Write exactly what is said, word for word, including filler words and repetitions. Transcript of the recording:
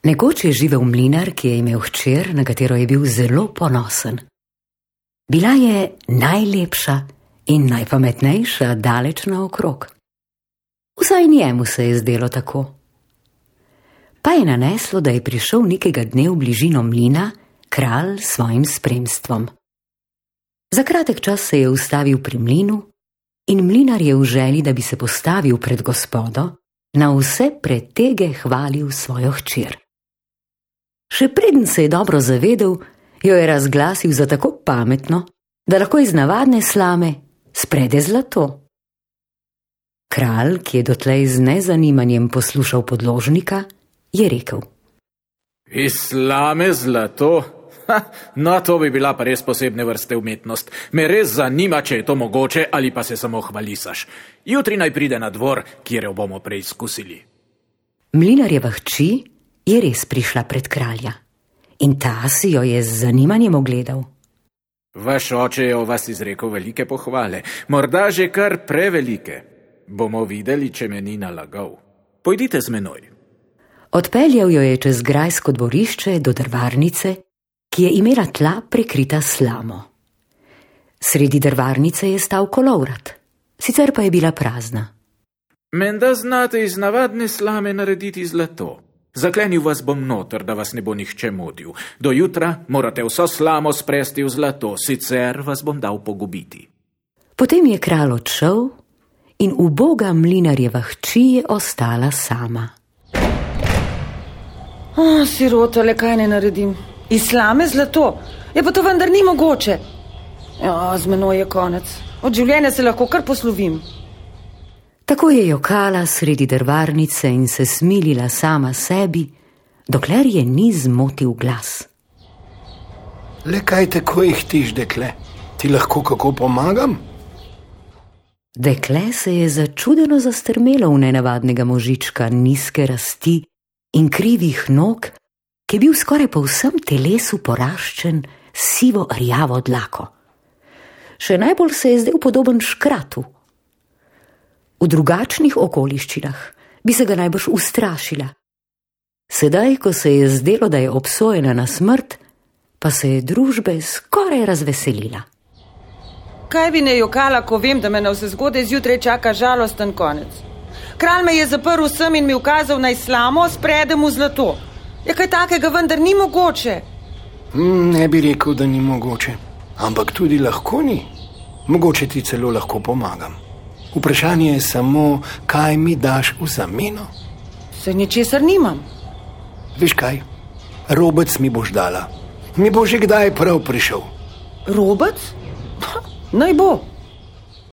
Nekoč je živel mlinar, ki je imel hčer, na katero je bil zelo ponosen. Bila je najlepša in najpametnejša daleč naokrog. Vsaj njemu se je zdelo tako. Pa je naneslo, da je prišel nekega dne v bližino mlina kralj s svojim spremstvom. Za kratek čas se je ustavil pri mlinu in mlinar je v želji, da bi se postavil pred gospodo, na vse pretege hvalil svojo hčer. Še preden se je dobro zavedel, jo je razglasil za tako pametno, da lahko iz navadne slame sprede zlato. Kralj, ki je dotlej z nezanimanjem poslušal podložnika, je rekel: Iz slame zlato? Ha, no, to bi bila pa res posebne vrste umetnost. Me res zanima, če je to mogoče ali pa se samo hvalisaš. Jutri naj pride na dvor, kjer jo bomo preizkusili. Mlinarjeva hči je res prišla pred kralja in ta si jo je z zanimanjem ogledal. Vaš oče je o vas izrekel velike pohvale, morda že kar prevelike. Bomo videli, če me ni nalagal. Pojdite z menoj. Odpeljal jo je čez grajsko dvorišče do drvarnice, ki je imela tla prekrita slamo. Sredi drvarnice je stal kolovrat, sicer pa je bila prazna. Menda znate iz navadne slame narediti zlato. Zaklenil vas bom noter, da vas ne bo nihče motil. Do jutra morate vso slamo spresti v zlato, sicer vas bom dal pogubiti. Potem je kralj odšel in uboga mlinarjeva hči je ostala sama. Oh, sirota, le kaj ne naredim? Iz slame zlato? Je pa to vendar ni mogoče. Ja, z menoj je konec. Od življenja se lahko kar poslovim. Tako je jokala sredi drvarnice in se smilila sama sebi, dokler je ni zmotil glas. Le kaj tako jih tiš, dekle? Ti lahko kako pomagam? Dekle se je začudeno zastrmelo v nenavadnega možička nizke rasti in krivih nog, ki je bil skoraj po vsem telesu poraščen sivo rjavo dlako. Še najbolj se je zdel podoben škratu. V drugačnih okoliščinah bi se ga najbrž ustrašila. Sedaj, ko se je zdelo, da je obsojena na smrt, pa se je družbe skoraj razveselila. Kaj bi ne jokala, ko vem, da me na vse zgode zjutraj čaka žalosten konec? Kralj me je zaprl sem in mi ukazal, naj slamo spredem v zlato. Je kaj takega vendar ni mogoče? Hmm, ne bi rekel, da ni mogoče, ampak tudi lahko ni. Mogoče ti celo lahko pomagam. Vprašanje je samo, kaj mi daš v zameno? Se ničesar nimam. Veš kaj, robec mi boš dala. Mi bo že kdaj prav prišel. Robec? Naj bo.